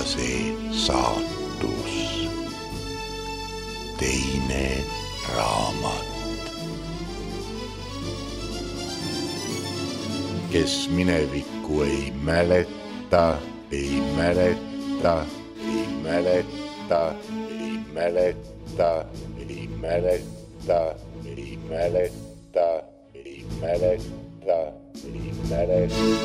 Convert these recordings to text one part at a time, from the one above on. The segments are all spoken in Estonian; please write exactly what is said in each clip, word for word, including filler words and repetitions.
Tänase saatus. Teine raamat. Kes minevikku ei mäleta, ei mäleta, ei mäleta, ei mäleta, ei mäleta, ei mäleta, ei mäleta, ei mäleta, mäleta.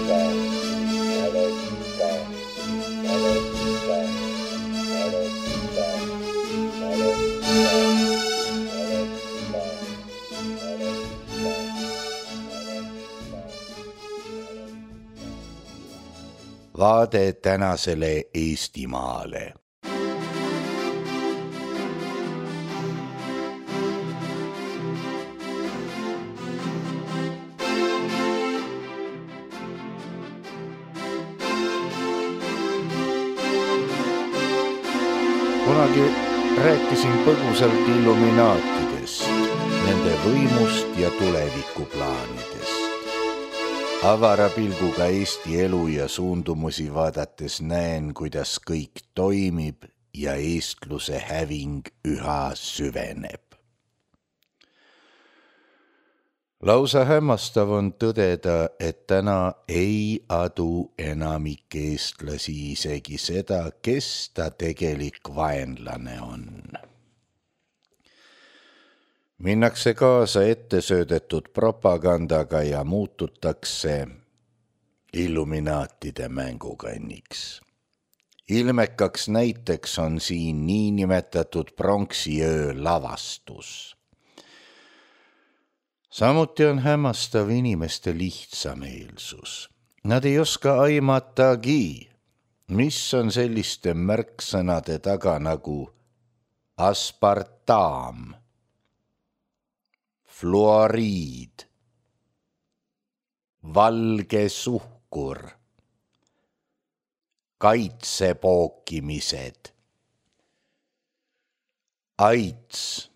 Vaade tänasele Eestimaale. Kunagi rääkisin põgusalt illuminaatidest, nende võimust ja tulevikuplaanidest. Avara pilguga Eesti elu ja suundumusi vaadates näen, kuidas kõik toimib ja eestluse häving üha süveneb. Lausa hämmastav on tõdeda, et täna ei adu enamik eestlasi isegi seda, kes ta tegelik vaenlane on. Minnakse kaasa ettesöödetud propagandaga ja muututakse illuminaatide mängukanniks. Ilmekaks näiteks on siin niinimetatud pronksiöö lavastus. Samuti on hämmastav inimeste lihtsameelsus. Nad ei oska aimatagi, mis on selliste märksõnade taga nagu aspartam, fluoriid, valge suhkur, kaitsepookimised, AIDS,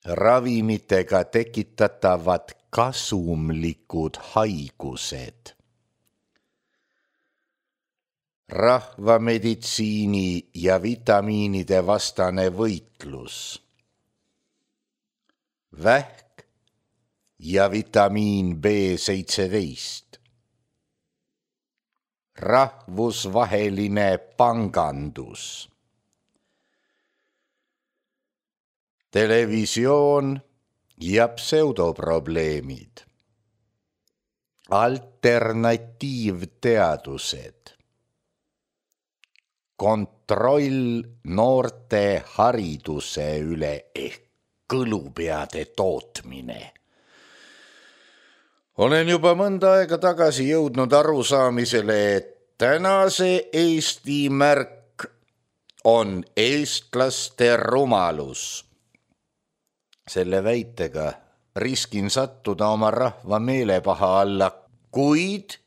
ravimitega tekitatavad kasumlikud haigused, rahvameditsiini ja vitamiinide vastane võitlus, vähk ja vitamiin B seitseteist, rahvusvaheline pangandus, televisioon ja pseudoprobleemid, alternatiivteadused, kontroll noorte hariduse üle ehk kõlupeade tootmine. Olen juba mõnda aega tagasi jõudnud arusaamisele, et tänase Eesti märk on eestlaste rumalus. Selle väitega riskin sattuda oma rahva meelepaha alla, kuid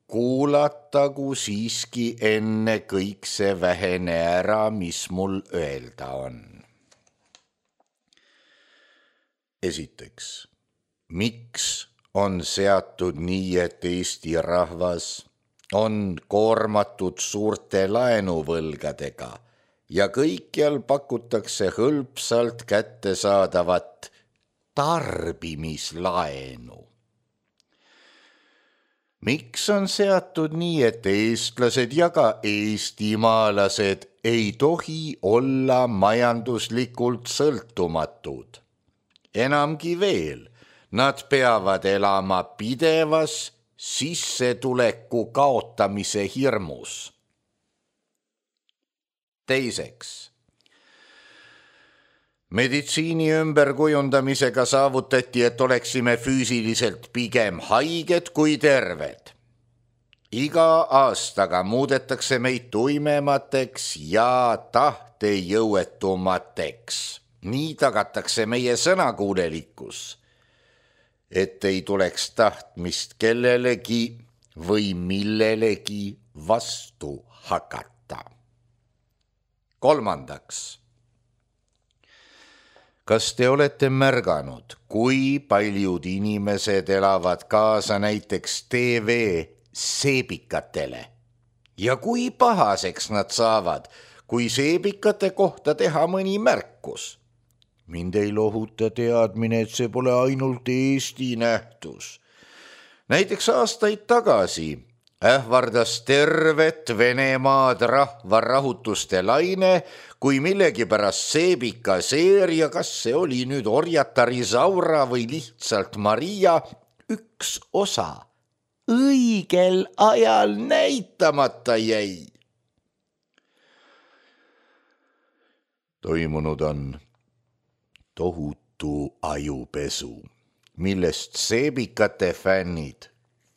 kuulatagu siiski enne kõik see vähene ära, mis mul öelda on. Esiteks, miks on seatud nii, et Eesti rahvas on koormatud suurte laenuvõlgadega ja kõikjal pakutakse hõlpsalt kättesaadavat tarbimislaenu? Miks on seatud nii, et eestlased ja ka eestimaalased ei tohi olla majanduslikult sõltumatud? Enamgi veel, nad peavad elama pidevas sissetuleku kaotamise hirmus. Teiseks, meditsiini ümberkujundamisega saavutati, et oleksime füüsiliselt pigem haiged kui terved. Iga aastaga muudetakse meid tuimemateks ja tahtejõuetumateks. Nii tagatakse meie sõnakuulelikkus, et ei tuleks tahtmist kellelegi või millelegi vastu hakata. Kolmandaks, kas te olete märganud, kui paljud inimesed elavad kaasa näiteks T V seebikatele ja kui pahaseks nad saavad, kui seebikate kohta teha mõni märkus. Mind ei lohuta teadmine, et see pole ainult Eesti nähtus. Näiteks aastaid tagasi ähvardas tervet Venemaad rahvarahutuste laine, kui millegipärast seebika seeria, kas see oli nüüd orjata Risaura või lihtsalt Maria, üks osa õigel ajal näitamata jäi. Toimunud on tohutu ajupesu, millest seebikate fännid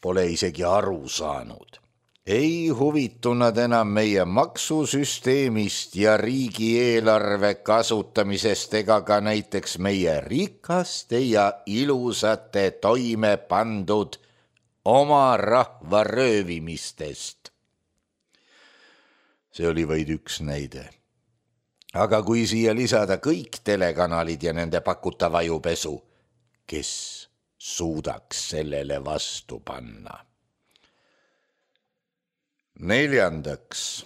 pole isegi aru saanud. Ei huvitu nad enam meie maksusüsteemist ja riigieelarve kasutamisest ega ka näiteks meie rikaste ja ilusate toime pandud oma rahva röövimistest. See oli vaid üks näide. Aga kui siia lisada kõik telekanalid ja nende pakutav ajupesu, kes suudaks sellele vastu panna? Neljandaks.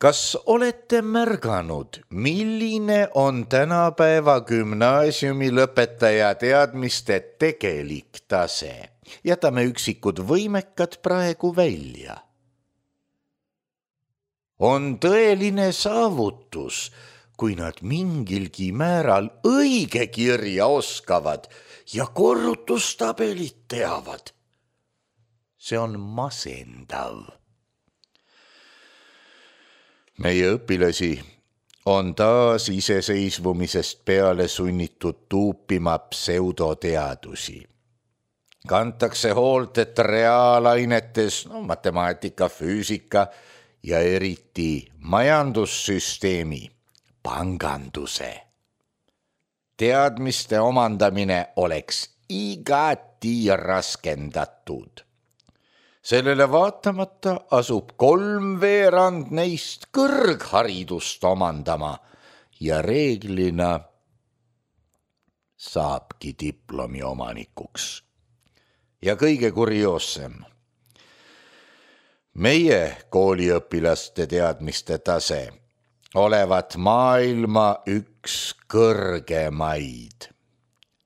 Kas olete märganud, milline on tänapäeva gümnaasiumi lõpetaja teadmiste tegelik tase? Jätame üksikud võimekad praegu välja. On tõeline saavutus, kui nad mingilgi määral õige kirja oskavad ja korrutustabelit teavad. See on masendav. Meie õpilasi on taas iseseisvumisest peale sunnitud tuupima pseudoteadusi. Kantakse hoolt, et reaalainetes, no, matemaatika, füüsika ja eriti majandussüsteemi, panganduse teadmiste omandamine oleks igati raskendatud. Sellele vaatamata asub kolmveerand neist kõrgharidust omandama ja reeglina saabki diplomi omanikuks. Ja kõige kurioossem. Meie kooliõpilaste teadmiste tase olevat maailma üks kõrgemaid.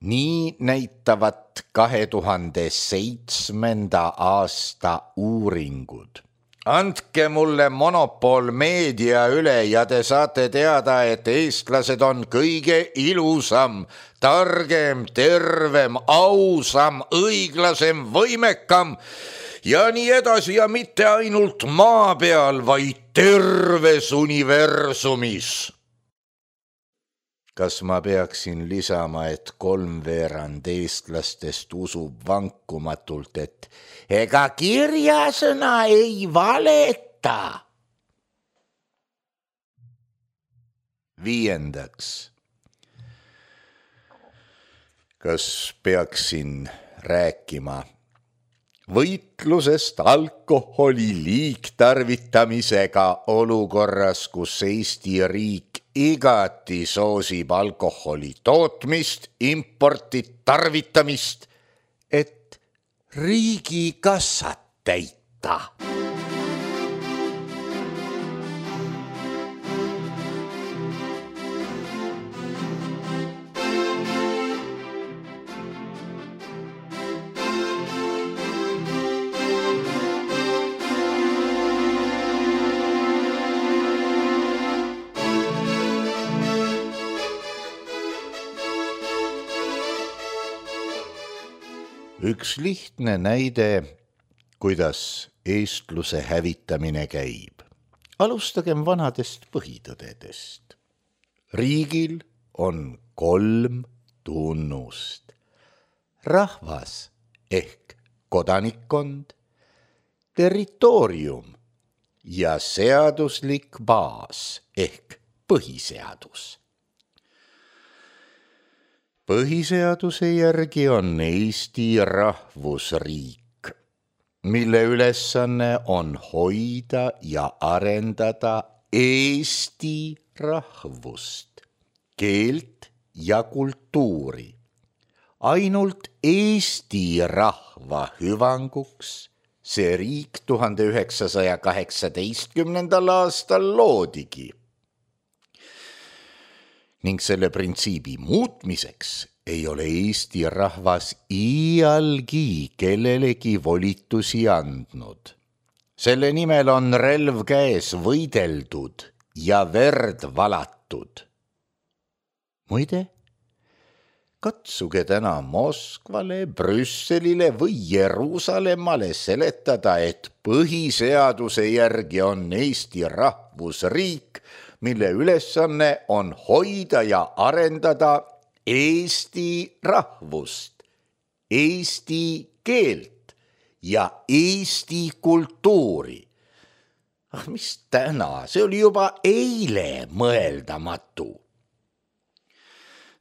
Nii näitavat kahe tuhande seitsmenda aasta uuringud. Andke mulle monopol meedia üle ja te saate teada, et eestlased on kõige ilusam, targem, tervem, ausam, õiglasem, võimekam ja nii edasi ja mitte ainult maa peal, vaid terves universumis. Kas ma peaksin lisama, et kolmveerand eestlastest usub vankumatult, et ega kirjasõna ei valeta? Viiendaks. Kas peaksin rääkima võitlusest alkoholi liigtarvitamisega olukorras, kus Eesti riik igati soosib alkoholi tootmist, importit, tarvitamist, et riigikassat täita? Üks lihtne näide, kuidas eestluse hävitamine käib. Alustagem vanadest põhitõdedest. Riigil on kolm tunnust. Rahvas ehk kodanikkond, territoorium ja seaduslik baas ehk põhiseadus. Põhiseaduse järgi on Eesti rahvusriik, mille ülesanne on hoida ja arendada Eesti rahvust, keelt ja kultuuri. Ainult Eesti rahva hüvanguks, see riik tuhande üheksasaja kaheksateistkümnendal aastal loodigi. Ning selle printsiibi muutmiseks ei ole Eesti rahvas iialgi kellelegi volitusi andnud. Selle nimel on relv käes võideldud ja verd valatud. Muide, katsuge täna Moskvale, Brüsselile või Jeruusalemmale seletada, et põhiseaduse järgi on Eesti rahvusriik, mille ülesanne on hoida ja arendada Eesti rahvust, eesti keelt ja eesti kultuuri. Ah, mis täna, see oli juba eile mõeldamatu.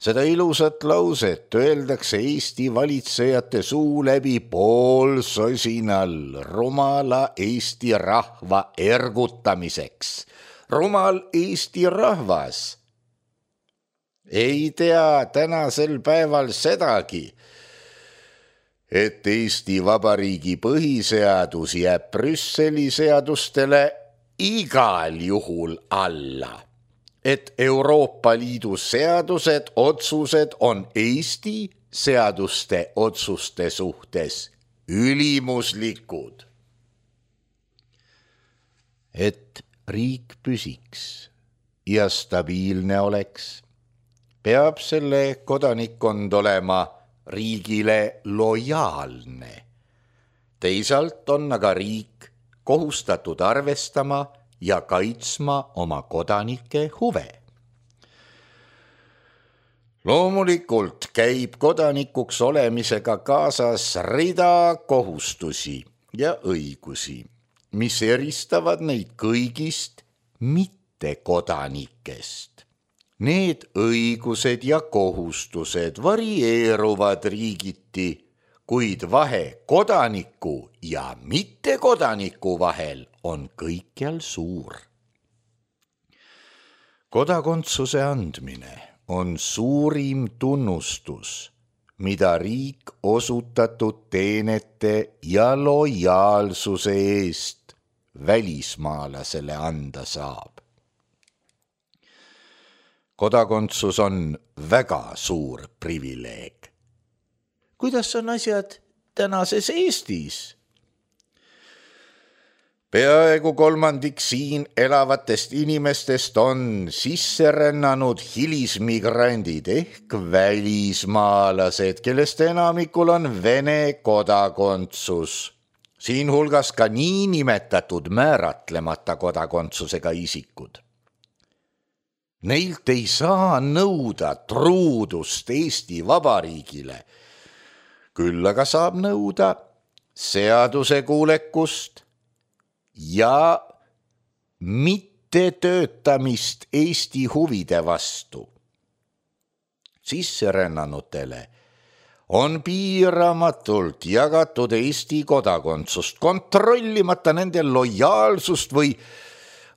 Seda ilusat lauset öeldakse Eesti valitsejate suu läbi poolsosinal rumala Eesti rahva ergutamiseks. Rumal Eesti rahvas ei tea tänasel päeval sedagi, et Eesti Vabariigi põhiseadus jääb Brüsseli seadustele igal juhul alla, et Euroopa Liidu seadused, otsused on Eesti seaduste otsuste suhtes ülimuslikud. Et riik püsiks ja stabiilne oleks, peab selle kodanikkond olema riigile lojaalne. Teisalt on aga riik kohustatud arvestama ja kaitsma oma kodanike huve. Loomulikult käib kodanikuks olemisega kaasas rida kohustusi ja õigusi, mis eristavad neid kõigist mittekodanikest. Need õigused ja kohustused varieeruvad riigiti, kuid vahe kodaniku ja mittekodaniku vahel on kõikjal suur. Kodakondsuse andmine on suurim tunnustus, mida riik osutatud teenete ja lojaalsuse eest välismaalasele anda saab. Kodakondsus on väga suur privileeg. Kuidas on asjad tänases Eestis? Peaaegu kolmandik siin elavatest inimestest on sisserännanud hilismigrandid ehk välismaalased, kellest enamikul on Vene kodakondsus. Siin hulgas ka niinimetatud määratlemata kodakondsusega isikud. Neilt ei saa nõuda truudust Eesti Vabariigile, küll aga saab nõuda seadusekuulekust ja mittetöötamist Eesti huvide vastu. Sisserännanutele on piiramatult jagatud Eesti kodakondsust, kontrollimata nende lojaalsust või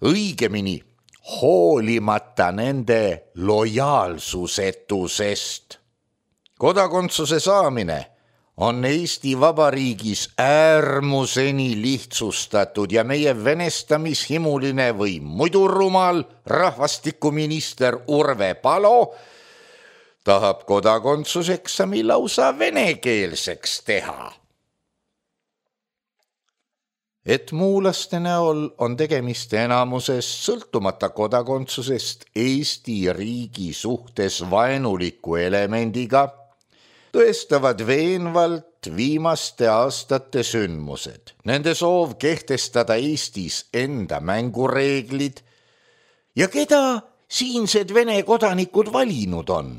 õigemini hoolimata nende lojaalsusetusest. Kodakondsuse saamine on Eesti Vabariigis äärmuseni lihtsustatud ja meie venestamishimuline või muidu rumal rahvastikuminister Urve Palo tahab kodakondsuseksami lausa venekeelseks teha. Et muulaste näol on tegemist enamuses sõltumata kodakondsusest Eesti riigi suhtes vaenuliku elemendiga, tõestavad veenvalt viimaste aastate sündmused, nende soov kehtestada Eestis enda mängureeglid ja keda siinsed Vene kodanikud valinud on,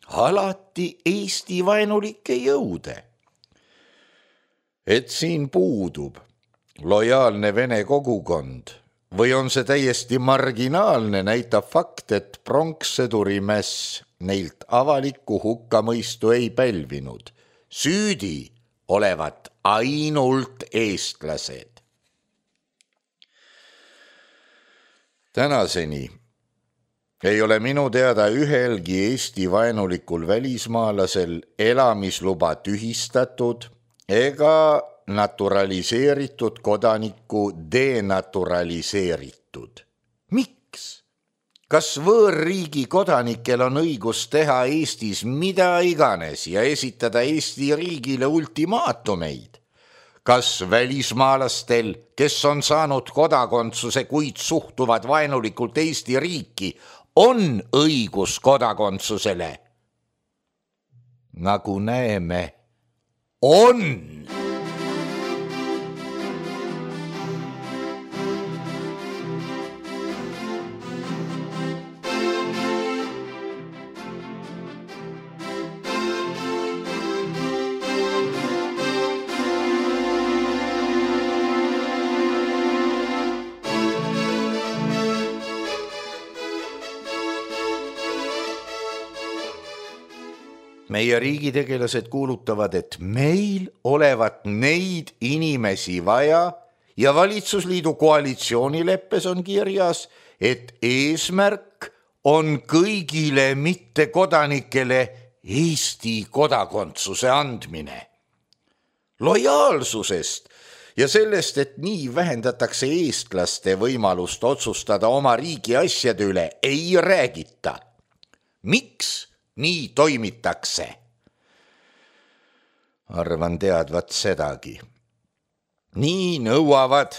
alati Eesti vaenulikke jõude. Et siin puudub lojaalne Vene kogukond või on see täiesti marginaalne, näitab fakt, et pronkssõdurimäss neilt avalikku hukkamõistu ei pälvinud. Süüdi olevat ainult eestlased. Tänaseni ei ole minu teada ühelgi Eesti vaenulikul välismaalasel elamisluba tühistatud ega naturaliseeritud kodanikku denaturaliseeritud. Miks? Kas võõrriigi kodanikel on õigus teha Eestis mida iganes ja esitada Eesti riigile ultimaatumeid? Kas välismaalastel, kes on saanud kodakondsuse, kuid suhtuvad vaenulikult Eesti riiki, on õigus kodakondsusele? Nagu näeme, on! Meie riigitegelased kuulutavad, et meil olevat neid inimesi vaja ja valitsusliidu koalitsioonileppes on kirjas, et eesmärk on kõigile mittekodanikele Eesti kodakondsuse andmine. Lojaalsusest ja sellest, et nii vähendatakse eestlaste võimalust otsustada oma riigi asjade üle, ei räägita. Miks nii toimitakse? Arvan teadvat sedagi. Nii nõuavad,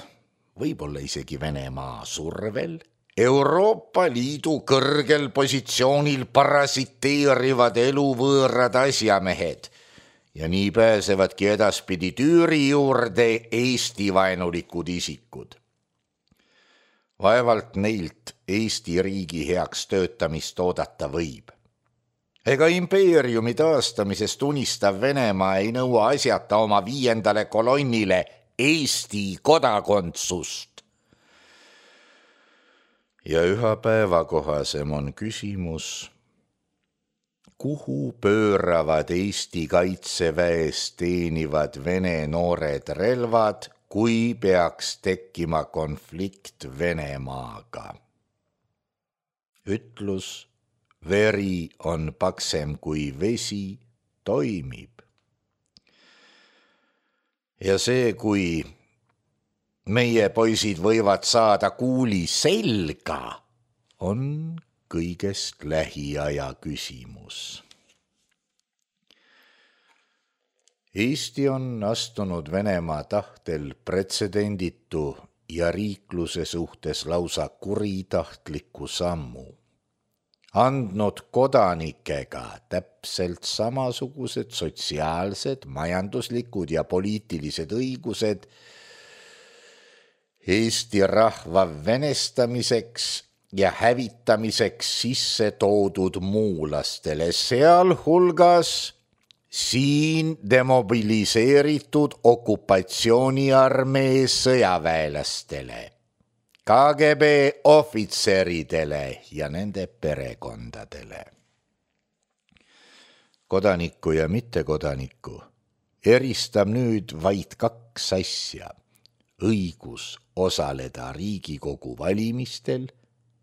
võib-olla isegi Venemaa survel, Euroopa Liidu kõrgel positsioonil parasiteerivad eluvõõrad asjamehed ja nii pääsevadki edaspidi tüüri juurde Eesti vaenulikud isikud. Vaevalt neilt Eesti riigi heaks töötamist oodata võib. Ega impeeriumi taastamisest unistav Venemaa ei nõua asjata oma viiendale kolonnile Eesti kodakondsust. Ja üha päevakohasem on küsimus, kuhu pööravad Eesti kaitseväes teenivad Vene noored relvad, kui peaks tekkima konflikt Venemaaga. Ütlus veri on paksem kui vesi, toimib. Ja see, kui meie poisid võivad saada kuuli selga, on kõigest lähiaja küsimus. Eesti on astunud Venemaa tahtel pretsedenditu ja riikluse suhtes lausa kuritahtliku sammu. Andnud kodanikega täpselt samasugused sotsiaalsed, majanduslikud ja poliitilised õigused Eesti rahva venestamiseks ja hävitamiseks sisse toodud muulastele, sealhulgas siin demobiliseeritud okupatsiooniarmee sõjaväelastele, K G B ohvitseridele ja nende perekondadele. Kodanikku ja mittekodanikku eristab nüüd vaid kaks asja. Õigus osaleda Riigikogu valimistel,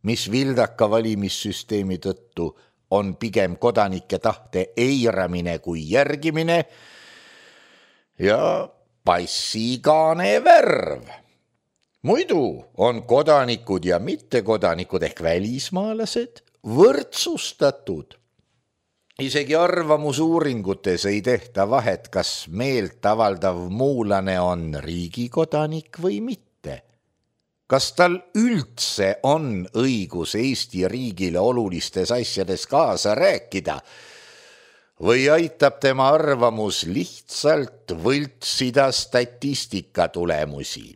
mis vildaka valimissüsteemi tõttu on pigem kodanike tahte eiramine kui järgimine, ja passigaane värv. Muidu on kodanikud ja mittekodanikud ehk välismaalased võrdsustatud. Isegi arvamusuuringutes ei tehta vahet, kas meelt avaldav muulane on riigikodanik või mitte. Kas tal üldse on õigus Eesti riigile olulistes asjades kaasa rääkida või aitab tema arvamus lihtsalt võltsida statistika tulemusi?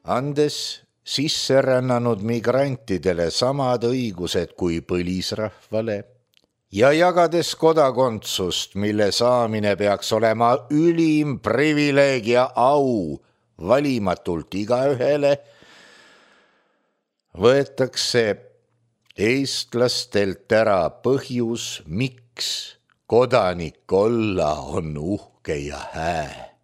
Andes sisserännanud migrantidele samad õigused kui põlisrahvale ja jagades kodakondsust, mille saamine peaks olema ülim privileeg ja au valimatult igaühele, võetakse eestlastelt ära põhjus, miks kodanik olla on uhke ja hää.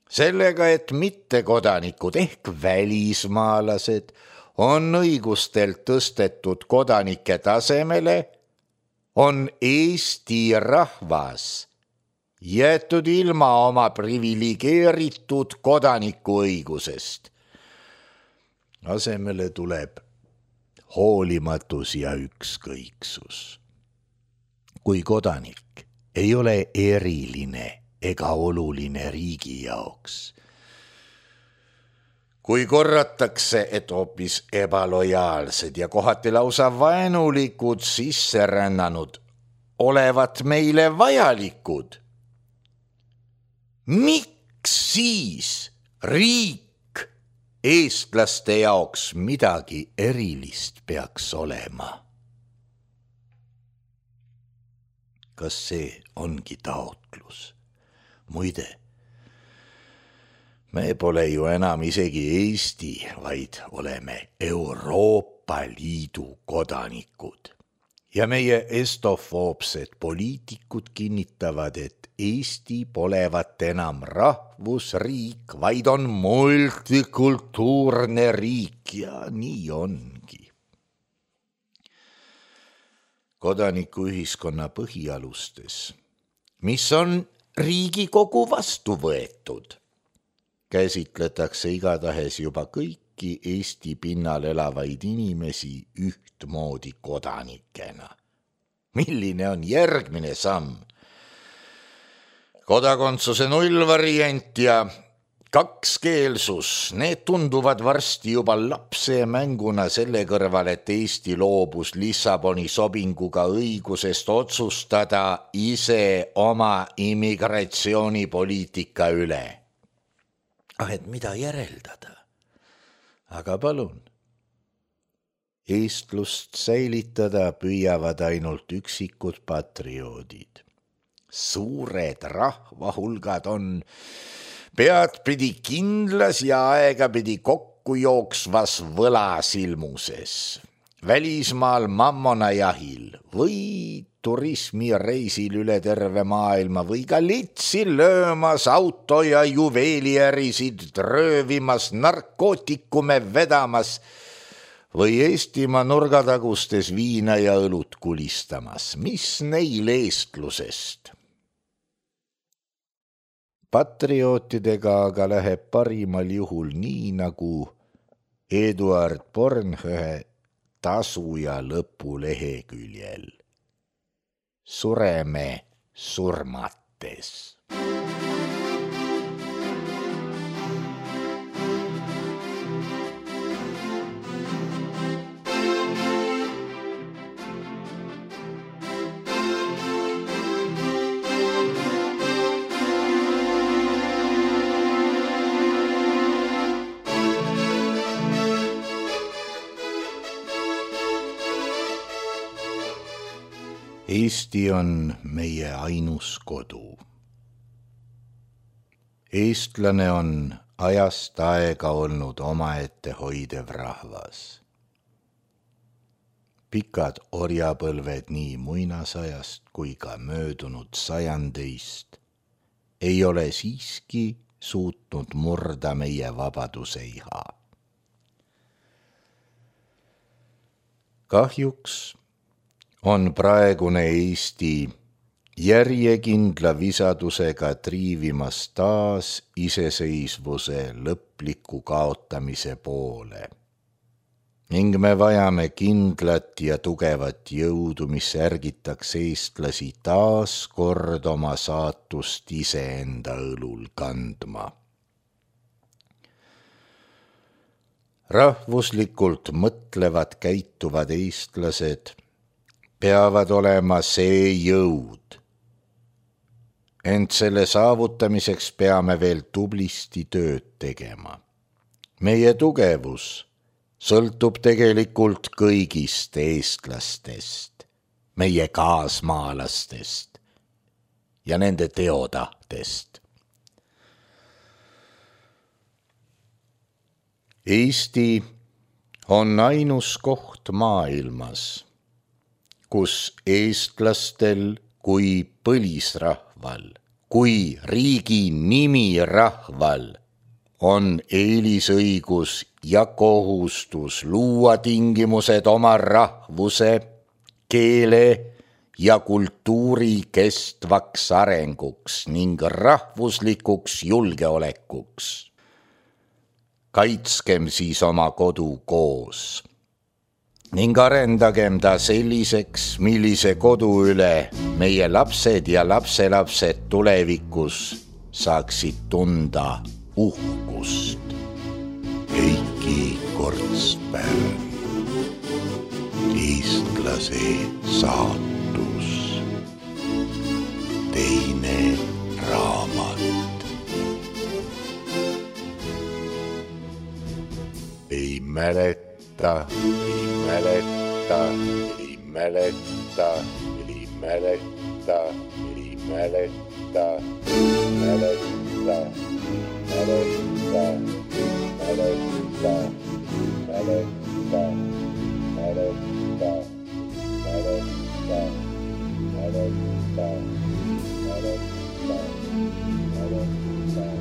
Sellega, et mittekodanikud ehk välismaalased on õigustelt tõstetud kodanike tasemele, on Eesti rahvas jäetud ilma oma priviligeeritud kodanikuõigusest. Asemele tuleb hoolimatus ja ükskõiksus. Kui kodanik ei ole eriline ega oluline riigi jaoks, kui korratakse, et hoopis ebalojaalsed ja kohati lausa vaenulikud sisserännanud olevat meile vajalikud, miks siis riik eestlaste jaoks midagi erilist peaks olema? Kas see ongi taotlus? Muide, me pole ju enam isegi Eesti, vaid oleme Euroopa Liidu kodanikud. Ja meie estofoobsed poliitikud kinnitavad, et Eesti polevat enam rahvusriik, vaid on multikultuurne riik ja nii ongi. Kodanikuühiskonna põhialustes, mis on Riigikogu vastu võetud, käsitletakse igatahes juba kõiki Eesti pinnal elavaid inimesi ühtmoodi kodanikena. Milline on järgmine samm? Kodakondsuse nullvariant ja kakskeelsus, need tunduvad varsti juba lapse mänguna selle kõrval, et Eesti loobus Lissaboni sobinguga õigusest otsustada ise oma immigratsioonipoliitika üle. Ah, et mida järeldada? Aga palun. Eestlust säilitada püüavad ainult üksikud patrioodid. Suured rahvahulgad on peadpidi kindlas ja aegapidi kokku jooksvas võlasilmuses, välismaal mammona jahil või turismireisil üle terve maailma või ka litsi löömas auto- ja juveeliärisid röövimas, narkootikume vedamas või Eestimaa nurgatagustes viina ja õlut kulistamas. Mis neil eestlusest? Patriootidega aga läheb parimal juhul nii nagu Eduard Bornhöhe Tasu ja lõpu leheküljel. Sureme surmates. Eesti on meie ainus kodu. Eestlane on ajast aega olnud omaette hoidev rahvas. Pikad orjapõlved nii muinasajast kui ka möödunud sajandeist ei ole siiski suutnud murda meie vabaduse iha. Kahjuks on praegune Eesti järjekindla visadusega triivimas taas iseseisvuse lõpliku kaotamise poole ning me vajame kindlat ja tugevat jõudu, mis ärgitaks eestlasi taas kord oma saatust iseenda õlul kandma. Rahvuslikult mõtlevad käituvad eestlased peavad olema see jõud. Ent selle saavutamiseks peame veel tublisti tööd tegema. Meie tugevus sõltub tegelikult kõigist eestlastest, meie kaasmaalastest ja nende teotahtest. Eesti on ainus koht maailmas, kus eestlastel kui põlisrahval, kui riigi nimi rahval on eelisõigus ja kohustus luua tingimused oma rahvuse, keele ja kultuuri kestvaks arenguks ning rahvuslikuks julgeolekuks. Kaitskem siis oma kodu koos ning arendagem ta selliseks, millise kodu üle meie lapsed ja lapselapsed tulevikus saaksid tunda uhkust. Heiki Kortspäev, eestlase saatus, teine raamat. Ei mäleta, ei mäleta, ei mäleta, ei mäleta, ei mäleta, mäleta, mäleta, mäleta, mäleta, mäleta, mäleta, mäleta, mäleta, mäleta.